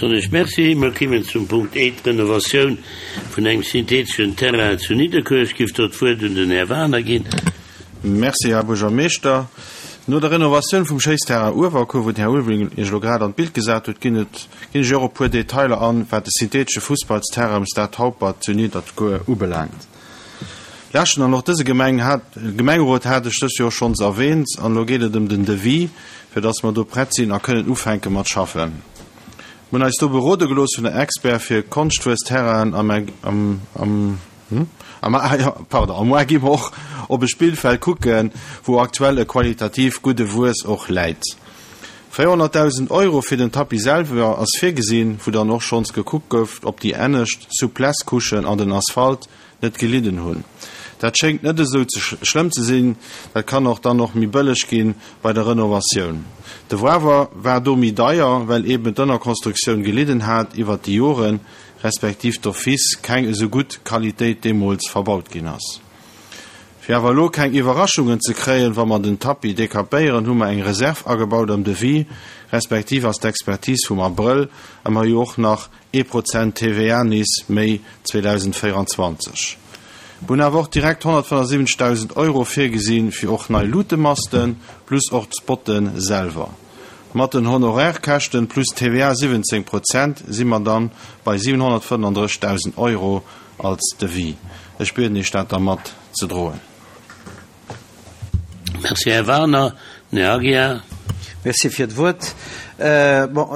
Soen ech Merci. Mer kimmen zum Punkt E, d'Renovatioun vun engem syntheteschen Terrain zu Nidderkuer. Ech giff do d'Wuert un den Här Wagener ginn. Merci, Här Buergermeeschter. No der Renovatioun vum Schéissterrain Uewerkuer, wou den Här Ulveling Iech elo grad an d'Bild gesat huet, ginn et, ginn ech och e puer Detailer an, wat de synthetesche Fussballsterrain um Stade Haupert zu Nidderkuer ubelaangt. Leschten an och dëse Gemeng hat, Gemengerot hat ech dës Joer schonns erwähnt an elo geet et ëm den Devis, fir dass mer do prett sinn a kënnen ufänke mat schaffen. Mer hunn eis do berode gelooss vun der Expert fir Konschtwuessterrainen a mer, am, am, hm? A mer, ah jo, pardon, a moar gi mer och op e Spillfeld kucken, wou aktuell e qualitativ gudde Wues och läit. 400.000 Euro fir den Tapis selwer ass virgesinn, wou dann och schonns gekuckt gouf, ob déi ennescht Souplesse-Couchen an den Asphalt net gelidden hunn. Dat schéngt net esou ze schlëmm ze sinn, dat kann och dann och méi bëlleg gi bei der Renovatioun. De Wawer war do méi deier, well eben d'Ënnerkonstruktioun gelidden hat iwwert déi Joren, respektiv d'office keng esou gutt Qualitéit deemools verbaut ginn ass. Fir awer elo keng Iwwerraschungen ze kréien, wa mer den Tapis dekapéieren, hu mer eng Reserve agebaut am Devis, respektiv ass d'Expertise vum Abrëll a mer jo och nach ee Prozent TVA nees méi 2024. Mer hunn awer och direkt 175.000 Euro virgesi fir och nei Lutemasten, plus och d'Spotte selwer. Mat den Honorärkäschten plus TVA 17 Prozent si mer dann bei 735.000 Euro als Devis. Ech bieden Iech dat da mat ze droen. Merci, Här Wagener. Den Här Aguiar. Merci fir d'Wuert. Bon,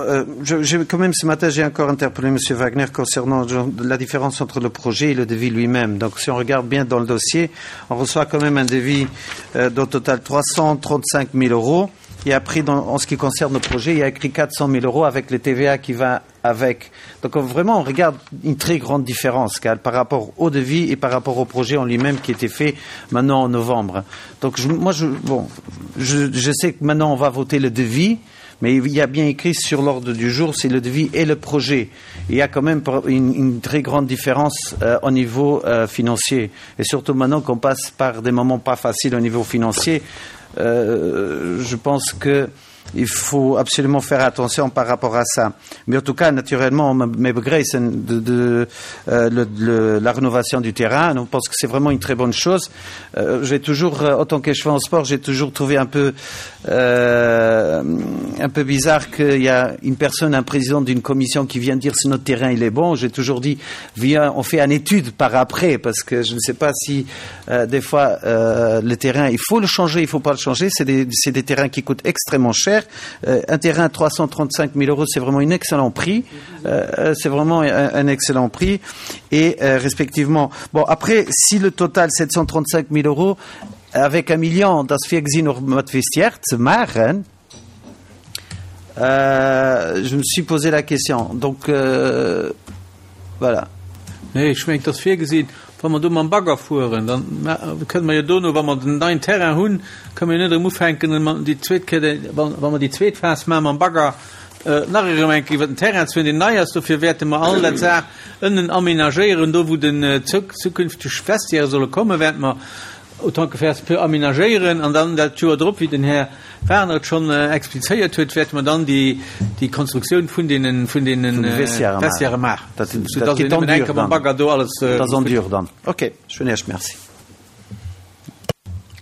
je, quand même ce matin, j'ai encore interpellé Monsieur Wagner concernant la différence entre le projet et le devis lui-même. Donc si on regarde bien dans le dossier, on reçoit quand même un devis d'au total 335 000 euros. Et après, dans, en ce qui concerne le projet, il y a écrit 400 000 euros avec le TVA qui va avec. Donc vraiment, on regarde une très grande différence car, par rapport au devis et par rapport au projet en lui-même qui était fait maintenant en novembre. Donc je, moi, je, bon, je, je sais que maintenant on va voter le devis, mais il y a bien écrit sur l'ordre du jour, c'est le devis et le projet. Il y a quand même une, une très grande différence euh, au niveau euh, financier. Et surtout maintenant qu'on passe par des moments pas faciles au niveau financier, euh, je pense que il faut absolument faire attention par rapport à ça. Mais en tout cas, naturellement, de, de, euh, le, le, la rénovation du terrain, on pense que c'est vraiment une très bonne chose. Euh, j'ai toujours, euh, autant que je fais en sport, j'ai toujours trouvé un peu, euh, un peu bizarre qu'il y a une personne, un président d'une commission qui vient dire si notre terrain il est bon. J'ai toujours dit, viens, on fait une étude par après, parce que je ne sais pas si euh, des fois euh, le terrain, il faut le changer, il ne faut pas le changer. C'est des, des terrains qui coûtent extrêmement cher. Euh, un terrain à 335 000 euros, c'est vraiment un excellent prix. Euh, euh, c'est vraiment un, un excellent prix. Et euh, respectivement, bon après, si le total 735 000 euros avec un million, das virgesinn och mat Vestiaire ze maachen, euh, je me suis posé la question. Donc euh, voilà. Nee, ech mengen, et ass virgesinn, wa mer do mam Bagger fueren, dann kënne mer jo dono, wa mer den neien Terrain hunn, kënne mer jo net erëm ufänken, déi zweet Kéier, wa mer déi zweet Phas maache mam Bagger, nach erëm eng Kéier iwwer den Terrain ze fueren, deen nei ass. Dofir wäerte mer all dat Saach ënnen aménagéieren, do wou den zukünfteg Vestiaire solle kommen, wäerte mer autant que faire se peut aménagéieren an dann dat Joer drop, wéi den Här Wagner et schonn explizéiert huet, wäerte mer dann déi, déi Konstruktioun vun deenen, vun deenen Vestiairë maachen, Dat, dat geet en dur dann. Bagger do alles. Dat ass en dur dann. Okay, ech hunn Iech Merci.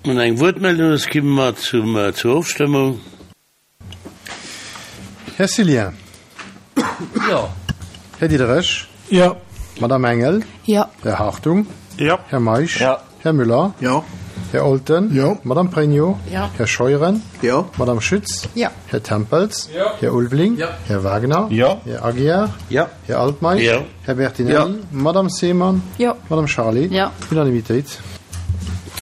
Wann eng Wuertmeldung ass, gi mer zum, zur Ofstëmmung. Här Cillien. Jo. Här Diderich. Jo. Madame Engel. Jo. Här Hartung. Jo. Här Meisch. Jo. Här Müller. Jo. Här Olten. Jo. Madame Pregno. Jo. Här Scheuren. Jo. Madame Schütz. Jo. Här Tempels. Jo. Här Ulveling. Jo. Här Wagner. Jo. Här Aguiar. Jo. Här Altmeisch. Jo. Här Bertinelli. Jo. Madame Seemann. Jo. Madame Charlé. Jo. Unanimitéit.